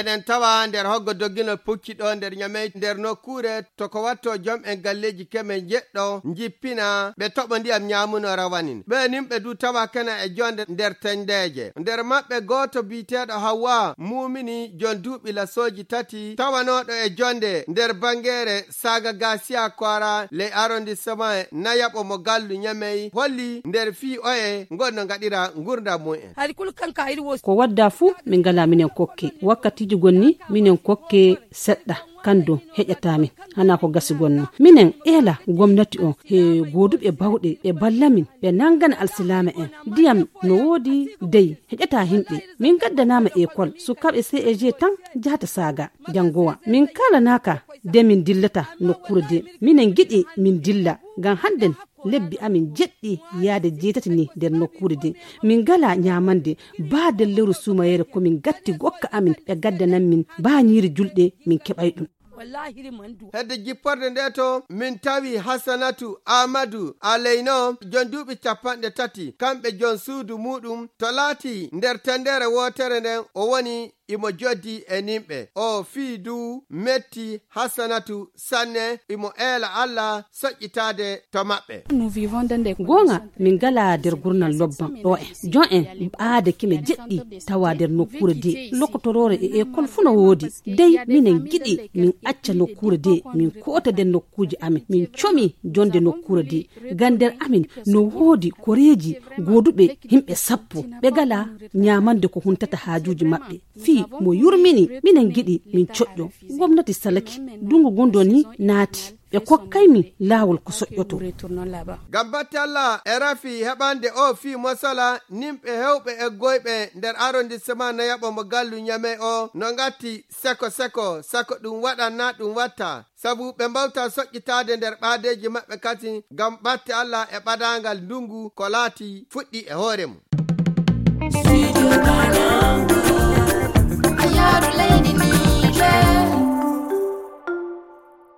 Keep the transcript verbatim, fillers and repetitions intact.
Eɗen tawa nder hoggo dogginol pucci ɗo nder Ñamey, nder nokkuure to ko watto jom en galleeji keme njeɗɗo njippina, ɓe toɓo ndiyam ñaamuno rawanin. Ɓe nin ɓe du tawa kena e jonde nder tendeeje. Nder maɓɓe gooto biyeteeɗo Hawwa Muumini, jon duuɓi lasooji tati, tawanooɗo e jonde nder bangeere Saaga Gasiya Koora, ley arrondissement Nayaɓo mo Gallu Ñamey, holli nder fii oye ngon no ngaɗira ngurndan mum en. Hari kul kanka iri wo. Ko wadda fuu, min ngala minen kokke. Wakkatiiji gonni, minen kokke seɗɗa. Kan don heƴata min. Hana ko gasi gonno. Minen eela gomnati on he gooduɓe bawɗe ɓe balla min, ɓe nangana alsilaama en. Ndiyam no woodi dey, heƴata himɓe. Min gaddanaama ekol, sukaaɓe C E G tan jahata Saaga, jangowa. Min kaalanaaka de min dillata nokkuure de. Minen giɗi min dilla, ngam hannden lebbi amin jeɗɗi yaade jeetati ni nder nokkuure de. Min ngala ñaamande, baa nder lewru suumayeere ko min gatti gokka amin, ɓe gaddanan min baa ñiiri julɗe, min keɓay ɗum. Hedde jipporde nde to, min tawi Hasanatu Aamadu Aleyno, jon duuɓi capanɗe tati, kamɓe jon suudu muuɗum, to laati nder tendere wootere nden, o woni imo joddi e nimɓe. O fii du metti Hasanatu sanne, imo eela Alla soƴƴitaade to maɓɓe. Goonga, min ngala nder gurnal lobban ɗo en. Jon en ɓaade kime jeɗɗi tawa nder nokkuure de. Lokotoroore e ekol fuu no woodi. Dey, minen giɗi min acca nokkuure de, min koota nder nokkuuje amin. Min comi jonde nokkuure de. Ngam nder amin no woodi koreeji gooduɓe himɓe sappo. Ɓe ngala ñaamande ko huntata haajuuji maɓɓe. Fii mo yurmini, minen giɗi min coƴƴo. Gomnati salaki, dungu ngun doni naati. Ɓe kokkay min laawol ko soƴƴoto. Ngam batte Alla e rafi heɓande o fii mosala, nimɓe hewɓe e goyɓe nder arrondissement Nayaɓo mo Gallu Ñamey o no ngatti seko seko, sako ɗum waɗan na ɗum watta. Sabu ɓe mbawta soƴƴitaade nder ɓaadeeji maɓɓe kadi ngam batte Alla e ɓadaangal ndungu ko laati fuɗɗi e hoore mum.